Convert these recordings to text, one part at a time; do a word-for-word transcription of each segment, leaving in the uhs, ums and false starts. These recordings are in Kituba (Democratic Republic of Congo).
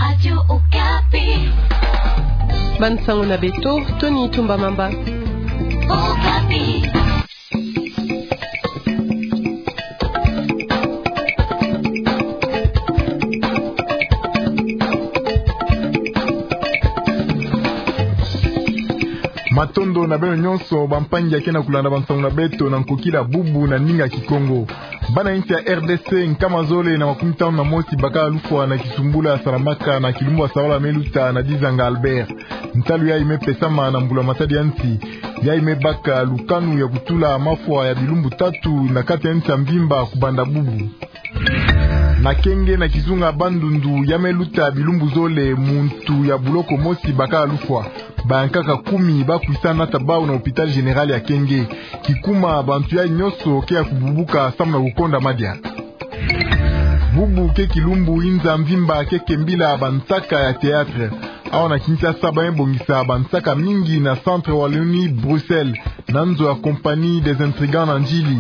Radio Okapi. Bansango na beto, Tony Tumba Mamba. Okapi. Matondo na beno nyonso, bampangi ya ke na kulanda bansango na beto na nkokila bubu na ndinga Kikongo. Bana insi ya R D C nkama zole na makumi tanu na mosi bakala lufwa na kisumbula salamaka na kilumbu ya sabala me luta na Dizanga Albert. Ntalu yayi me pesama na mbula matadi ya nsi, yayi me baka lukanu ya kutula mafwa ya bilumbu tatu na kati ya nsi ya mvimba kubanda bubu. Na Kenge na kizunga Bandundu, ya me luta bilumbu zole muntu ya buloko mosi bakala lufwa. Bayankaka kumi ba kwisa nata bawu na hôpital général ya Kenge. Kikuma bantu yayi nyonso ke ya kububuka samu na kukonda madia. Bubu ke kilumbu inza mvimba ke kembila bansaka ya théâtre. Awa na Kinshasa ba me bongisa bansaka mingi na Centre Wallonie Bruxelles, na nzo ya Compagnie des Intrigants na Ndjili.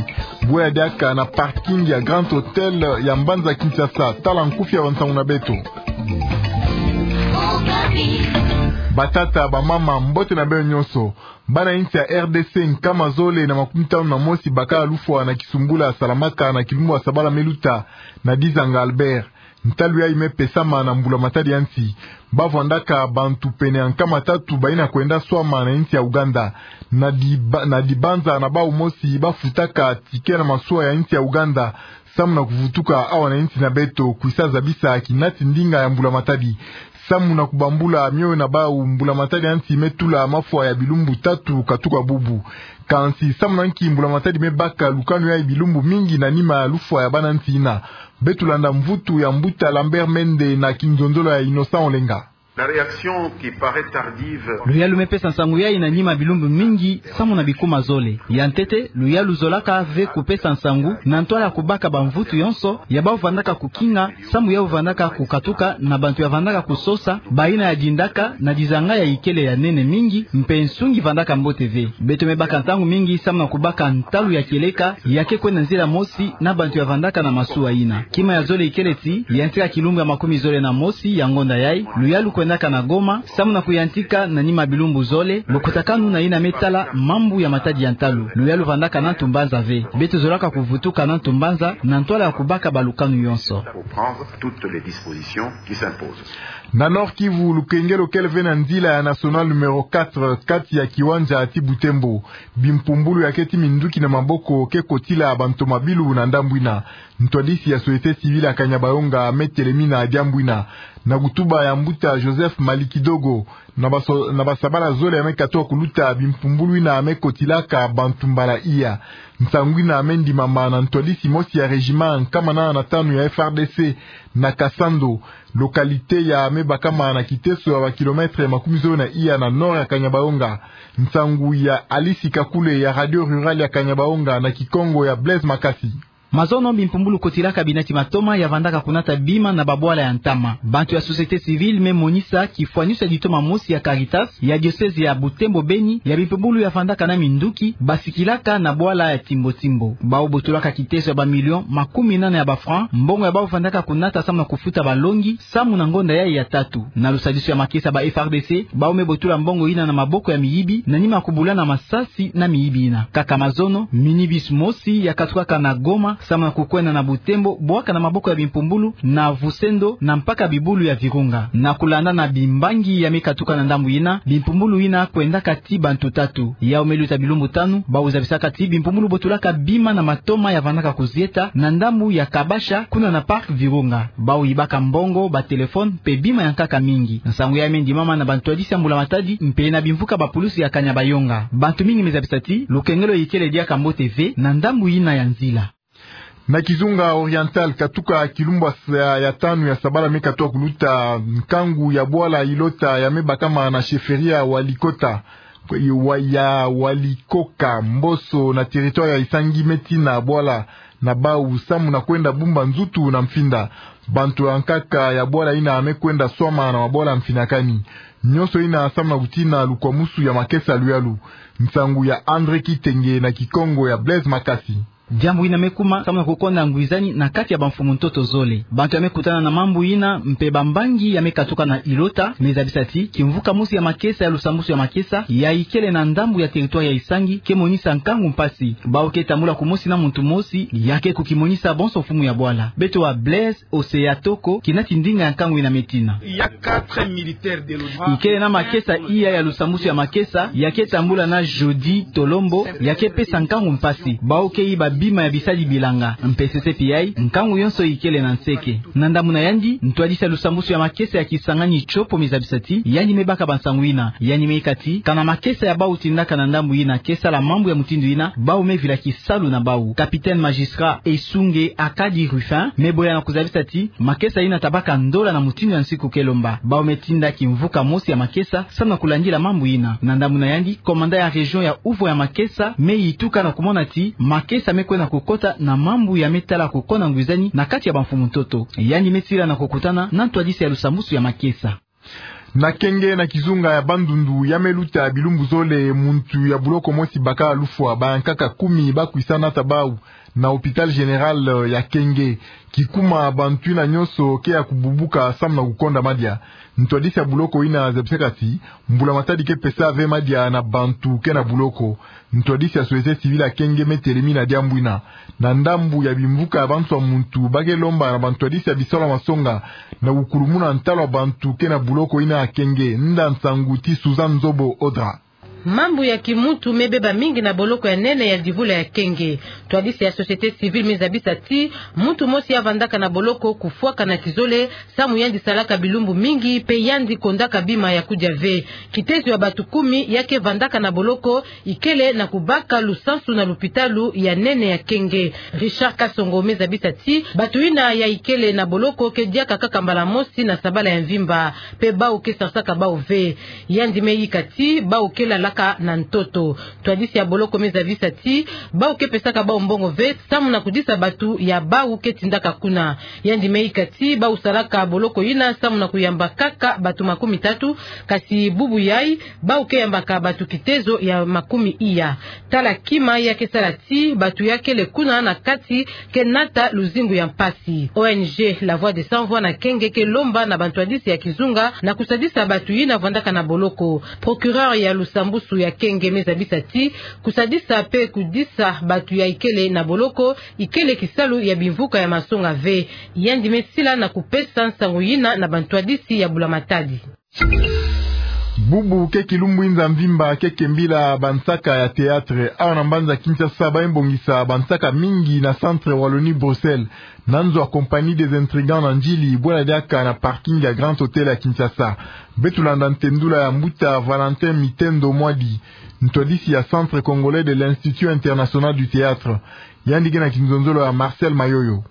Bwe ya diaka na parking ya Grand Hôtel ya mbanza Kinshasa. Tala nkufi ya bansango na beto. Batata, bamama, mbote na beno nyonso. Bana insi ya R D C nkama zole na makumi tanu na mosi bakala lufwa na kisumbula salamaka na kilumbu ya sabala me luta na Dizanga Albert. Ntalu yayi me pesama na mbula matadi ya nsi. Ba vwandaka bantu pene ya nkama tatu bayina kwenda swama na insi ya Ouganda. Na diba-, na dibanza na bawu mosi ba futaka ticket na masuwa ya insi ya Ouganda samu na kuvutuka awa na insi na beto, kwisa zabisa kinati ndinga ya mbula matadi. Samu na kubambula mioyo na bawu, mbula matadi ya nsi me tula mafwa ya bilumbu tatu katuka bubu. Kansi samu na nki mbula matadi me baka lukanu yayi bilumbu mingi na nima ya lufwa ya bana nsi yina? Beto landa mvutu ya mbuta Lambert Mende na kinzonzolo ya Innocent Olenga. La réaction qui paraît tardive. Luyalu me pesa nsangu yayi na nima bilumbu mingi samu na bikuma zole. Ya ntete, luyalu zolaka ve kupesa nsangu na ntwala ya kubaka bamvutu yonso ya bawu vandaka kukinga, samu yawu vandaka kukatuka na bantu ya vandaka kusosa, bayina ya dindaka na dizanga ya ikele ya nene mingi, mpe nsungi vandaka mbote ve. Beto me baka ntangu mingi samu na kubaka ntalu ya kieleka ya ke kwenda nzila mosi na bantu ya vandaka na masuwa yina. Kima ya zole ikele ti yantika kilumbu ya makumi zole na mosi ya ngonda yayi, luyalu kwendaka na Goma, samu na kuyantika na nima bilumbu zole, bokotakanu na yina me tala mambu ya matadi ya ntalu. Luyalu vandaka na ntu mbanza ve. Beto zolaka kuvutuka na ntu mbanza na ntwala ya kubaka balukanu yonso. Pour prendre toutes les dispositions qui s'imposent. Na Nord-Kivu, lukengelo kele ve na nzila ya nationale numéro quatre, kati ya kiwanja ti Butembo. Bimpumbulu ya ke ti minduki na maboko ke kotila bantomabilu na ndambu yina. Ntwadisi ya société civile ya Kanyabayonga me telemina diambu yina. Na kutuba ya mbuta Joseph Malikidogo, na baso-, na basabala zole ya me katuka kuluta, bimpumbulu yina me kotilaka bantu mbala iya. Nsangu yina me ndimama na ntwadisi mosi ya régiment nkama nana na tanu ya F R D C na Kasando, localité ya me bakama na kiteso ya ba kilomètre makumi zole na iya na nord ya Kanyabayonga. Nsangu ya Alice Kakule ya Radio Rurale ya Kanyabayonga na Kikongo ya Blaise Makasi. Mazono, bimpumbulu kotilaka binati matoma ya vandaka kunata bima na babwala ya ntama. Bantu ya société civile me monisa kifwaniso ya ditoma mosi ya Caritas ya diocèse ya Butembo Beni ya bimpumbulu ya vandaka na minduki basikilaka na bwala ya Timbo Timbo. Bawu botulaka kiteso ya ba millions makumi nana ya ba francs, mbongo ya bawu vandaka kunata samu na kufuta balongi, samu na ngonda yayi ya tatu. Na lusadisu ya makesa ba F R D C, bawu me botula mbongo yina na maboko ya miyibi, na nima kubula na masasi na miyibi yina. Kaka mazono, minibus mosi ya katukaka na Goma, samu na kukwenda na Butembo, bwaka na maboko ya bimpumbulu, na Vusendo, na mpaka bibulu ya Virunga. Na kulanda na bimbangi ya me katuka na ndambu yina, bimpumbulu yina kwendaka ti bantu tatu. Yawu me luta bilumbu tanu, bawu zabisaka ti bimpumbulu botulaka bima na matoma ya vandaka kuzieta, na ndambu ya Kabasha, kuna na parc Virunga. Bawu yibaka mbongo, ba téléphone, mpe bima ya nkaka mingi. Nsangu yayi me ndimama na bantwadisi ya mbula matadi, mpe na bimvuka ba pulusi ya Kanyabayonga. Bantu mingi me zabisa ti lukengelo ikele diaka mbote ve na ndambu yina ya nzila. Na Kizunga Oriental, katuka kilumbu ya, ya tanu ya sabala me katuka kuluta, nkangu ya bwala Ilota ya me bakama na chefferie ya Walikota, wa-, ya Walikoka Mboso na territoire ya Isangi me tina bwala na bawu samu na kwenda bumba nzutu na mfinda. Bantu ya nkaka ya bwala yina me kwenda swama na mabwala mfinakani. Nyonso yina samu na kutina lukwamusu ya makesa luyalu. Nsangu ya André Kitenge na Kikongo ya Blaise Makasi. Diambu yina me kuma samu na kukonda ngwizani na kati ya bamfumu ntoto zole. Bantu ya me kutana na mambu yina mpe bambangi ya me katuka na ilota me zabisa ti kimvuka mosi ya makesa ya lusambusu ya makesa ya ikele na ndambu ya territoire ya Isangi ke monisa nkangu mpasi. Bau ke tambula kumosi na muntu mosi ya ke kukimonisa bonso mfumu ya bwala. Beto wa Blaise Osea Toko, kina ti ndinga ya nkangu yina me tina. Ikele na makesa iya ya lusambusu ya makesa ya ke tambula na Jody Tolombo, ya ke pesa nkangu mpasi. Bau ke yiba bima ya bisadi bilanga. Mpe sese pia, nkangu yonso ikele na nseke. Na ndambu na yandi, ntwadisi ya lusambusu ya makesa ya Kisangani Tiopo me zabisa ti yandi me baka bansangu yina. Yandi me ika ti kana makesa ya bau tindaka na ndambu yina ke sala mambu ya mutindu yina, bau me vila kisalu na bau. Capitaine magistrat Esunge Akadi Rufin me boya na kuzabisa ti makesa yina ta baka ndola na mutindu ya nsiku ke lomba. Bau me tinda kimvuka mosi ya makesa samu na kulandila mambu yina. Na ndambu na yandi, commandant ya région ya uvo ya makesa me yituka na kumona ti makesa me kwenda kukota na mambu ya me tala kukonda ngwizani na kati ya bamfumu ntoto. Yandi me sila na kukutana na ntwadisi ya lusambusu ya makesa. Na Kenge, na kizunga ya Bandundu, ya me luta bilumbu zole, muntu ya buloko mosi bakala lufwa, bayankaka kumi ba kwisa nata bau na hôpital général ya Kenge. Kikuma bantu yina nyonso ke ya kububuka samu na kukonda madia. Ntwadisi ya buloko yina zabisaka ti mbula matadi ke pesa ve madia na bantu ke na buloko. Ntwadisi ya société civile ya Kenge me telemi na diambu yina. Na ndambu ya bimvuka ya bantu ya muntu, ba ke lomba na bantwadisi ya bisalu ya masonga na kukulumuna ntalu ya bantu ke na buloko yina ya Kenge. Nda nsangu ti Suzanne Nzobo Odra. Mambu ya kimuntu me beba mingi na boloko ya nene ya divula ya Kenge. Ntwadisi ya société civile me zabisa ti muntu mosi ya vandaka na boloko kufwaka na kizole, samu yandi salaka bilumbu mingi mpe yandi kondaka bima ya kudia ve. Kitezo ya bantu kumi ya ke vandaka na boloko ikele na kubaka lusansu na lupitalu ya nene ya Kenge. Richard Kasongo me zabisa ti bantu yina ya ikele na boloko ke diaka kaka mbala mosi na sabala ya mvimba, mpe bau ke sarsaka bau ve. Yandi me ika ti bau ke lalaka na ntoto. Ntwadisi ya boloko me zabisa ti bau ke pesaka bau mbongo ve samu na kudisa bantu ya bau ke tindaka kuna. Yandi me ika ti bau salaka boloko yina samu na kuyamba kaka bantu makumi tatu, kasi bubu yai bau ke yambaka bantu kitezo ya makumi iya. Tala kima ya ke sala ti bantu ya kele kuna na kati ke nata luzingu ya mpasi. O N G La Voix des Sans Voix na Kenge ke lomba na bantwadisi ya kizunga na kusadisa bantu yina vandaka na boloko. Procureur ya lusambusu ya Kenge me zabisa ti kusadisa mpe kudisa bantu ya ikele na boloko ikele kisalu ya bimvuka ya masonga ve. Yandi me sila na kupesa nsangu yina na bantwadisi ya bula matadi. Bubu ke kilumbu inza mvimba ke kembila bansaka ya théâtre. Awa na mbanza Kinshasa ba me bongisa bansaka mingi na centre Wallonie-Bruxelles, na nzo ya Compagnie des Intrigants na Ndjili, bwela diaka na parking ya Grand Hôtel ya Kinshasa. Beto landa ntendula ya mbuta Valentin Mitendo Mwadi, ntwadisi ya Centre Congolais de l'Institut International du Théâtre. Yandi ke na kinzonzolo ya Marcel Mayoyo.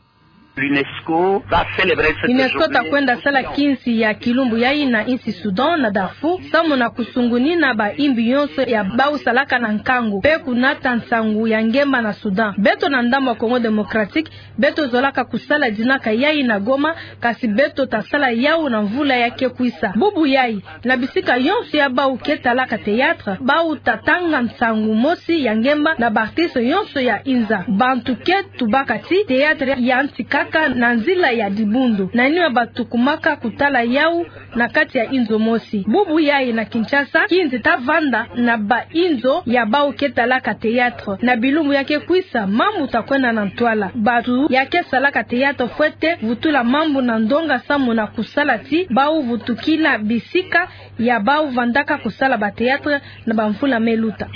L'UNESCO va célébrer cette UNESCO ta kwenda sala kinsi ya kilumbu yai na insi Soudan, na Darfour, samu na kusungunina bayimbi yonso ya bau salaka na nkangu mpe kunata nsangu ya ngemba na Soudan. Beto na ndambu ya Congo Démocratique, beto zolaka kusala dinaka yai na Goma, kasi beto ta sala yau na mvula ya ke kwisa. Bubu yai, na bisika yonso ya bau ke talaka théâtre, bau ta tanga nsangu mosi ya ngemba na baartiste yonso ya inza. Bantu ke tubaka ti théâtre ya ntikaka na nzila ya dibundu, na nima batu kumaka kutala yau na kati ya inzo mosi. Bubu yai na Kinshasa, kinzi ta vanda na bainzo ya bau ke talaka théâtre. Na bilumbu ya ke kwisa, mambu ta kwenda na ntwala. Batu ya ke salaka théâtre fwete vutula mambu na ndonga samu na kusala ti bau vutukina bisika ya bau vandaka kusala bathéâtre na bamvula me luta.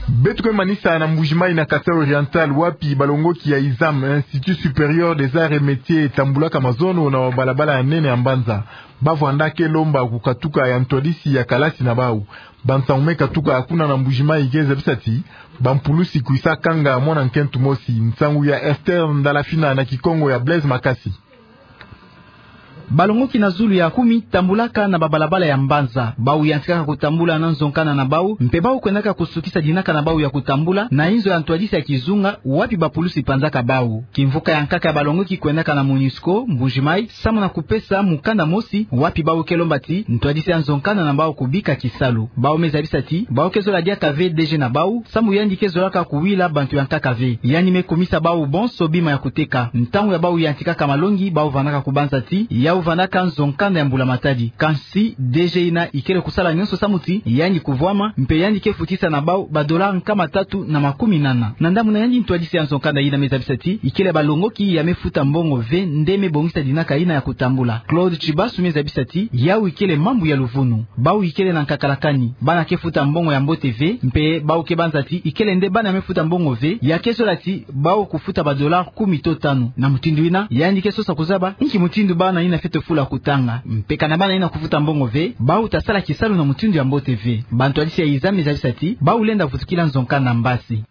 Beto ke manisa na Mbuji-Mayi, na Kasaï Oriental, wapi balongoki ya ISAM, Institut Supérieur des Arts et Métiers, tambulaka mazono na balabala ya nene ya mbanza. Ba vwanda ke lomba kukatuka ya ntwadisi ya kalasi na bau. Bansangu me katuka kuna na Mbuji-Mayi ke zabisa ti bampulusi kwisa kanga mwana-nkento mosi. Nsangu ya Esther Ndalafina na Kikongo ya Blaise Makasi. Balongoki na zulu ya kumi tambulaka na babalabala ya mbanza. Bau yantikaka kutambula na nzo nkanda na bau, mpe bau kwendaka kusukisa dinaka na bau ya kutambula na inzo ya ntwadisi ya kizunga, wapi bapulusi panzaka bau. Kimvuka ya nkaka ya balongoki kwendaka na MONUSCO, Mbuji-Mayi, samu na kupesa mukanda mosi, wapi bau ke lomba ti ntwadisi ya nzo nkanda na bau kubika kisalu. Bau me zabisa ti bau ke zola diaka ve DG na bau, samu yandi ke zolaka kuwila bantu ya nkaka ve. Yandi me kumisa bau bonso bima ya kuteka. Ntangu ya bau yantikaka malongi, bau vandaka kubanza ti yau vandaka nzo nkanda ya mbula-matadi. Kansi DG yina ikele kusala nyonso samu ti yandi kuvwama, mpe yandi ke futisa na bau ba dollars nkama tatu na makumi nana. Na ndambu na yandi, ntwadisi ya nzo nkanda yina me zabisa ti ikele balongoki ya me futa mbongo ve nde me bongisa dinaka yina ya kutambula. Claude Tshibasu me zabisa ti yau ikele mambu ya luvunu. Bau ikele na nkakala kani. Bana ke futa mbongo ya mbote ve, mpe bau ke banza ti ikele nde bana me futa mbongo ve, ya ke zola ti bau kufuta ba dollars kumi to tanu. Na mutindu yina, yandi ke sosa kuzaba inki mutindu bana yina fwete fula kutanga. Mpe kana bana yina kufuta mbongo ve, bau ta sala kisalu na mutindu ya mbote ve. Bantwadisi ya iza me zabisa ti bau lenda vutukila nzo nkanda mbasi.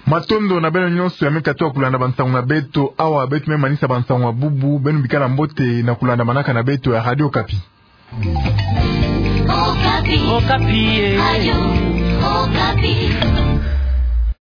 Matondo na beno nyonso ya me katuka kulanda bansangu na beto. Awa beto me manisa bansangu ya bubu, beno bikala mbote na kulandamanaka na beto ya Radio Okapi. Okapi. Okapi, eh. Radio Okapi.